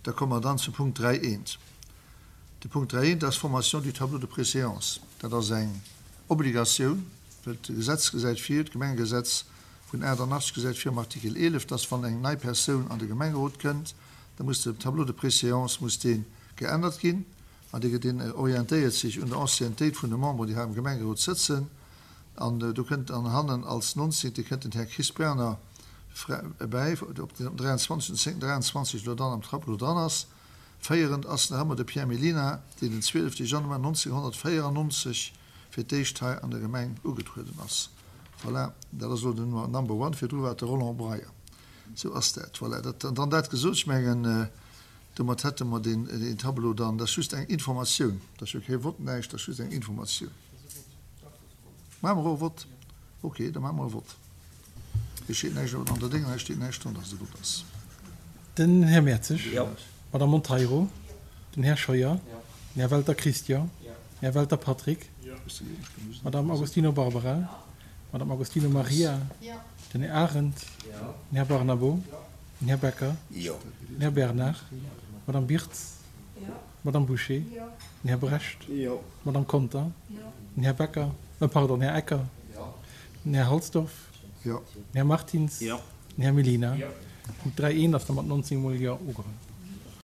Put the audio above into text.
Da komme mer dann zum Punkt 3 eent. De Punkt 3 eent ass d'Formation du tableau de préséance. Dat ass eng Obligatioun, well d'Gesetz gesäit vir, d'Gemengegesetz vun 88 gesäit vir am Artikel 11, dass wann eng nei Persoun an de Gemengerot kënnt, da muss de Tableau de préséance muss dee geännert ginn an dee deen orientéiert sech un der Anciennetéit vun de Memberen, déi hei am Gemengerot sëtzen. An do kënnt dann hannen als nonzéngte kënnt den Här Chris Berner bäi, op deen am 23. 10. 23 elo dann am Tableau dran ass. Féierend ass nach ëmmer de Pierre Mellina, deen den 12. Januar 1994 fir d'éischt hei an der Gemeng ugetrueden ass. Voilà, dat ass elo den Number one. Virdru war et de Roland Breyer. Sou ass dat. Voilà, dat, an dann dat gesot, ech mengen, domat hätte mer deen Tableau dann. Dat ass just eng Informatioun, dat ass jo kee Vott, näischt, dat ass just eng Informatioun. Maache mer och e Vott? Ok, da maache mer e Vott. Hei steet näischt, an der Dénger hei steet näischt dran, dass et e Vott ass. Den Här Mertzig. Jo. D'Madame Monteiro. Den Här Scheuer. Den Här Welter Christian. Den Här Welter Patrick. D'Madame Agostino Barbara. D'Madame Agostino Maria. Den Här Arendt. Den Här Barnabo. Den Här Becker. Den Här Bernard. D'Madame Birtz. D'Madame Bouché. Den Här Brecht. D'Madame Conter. Den Här Becker, pardon, Här Ecker. Den Här Halsdorf. Den Här Martins. Den Här Mellina. Punkt 3 1 ass da mat 19 mol Jo ugeholl.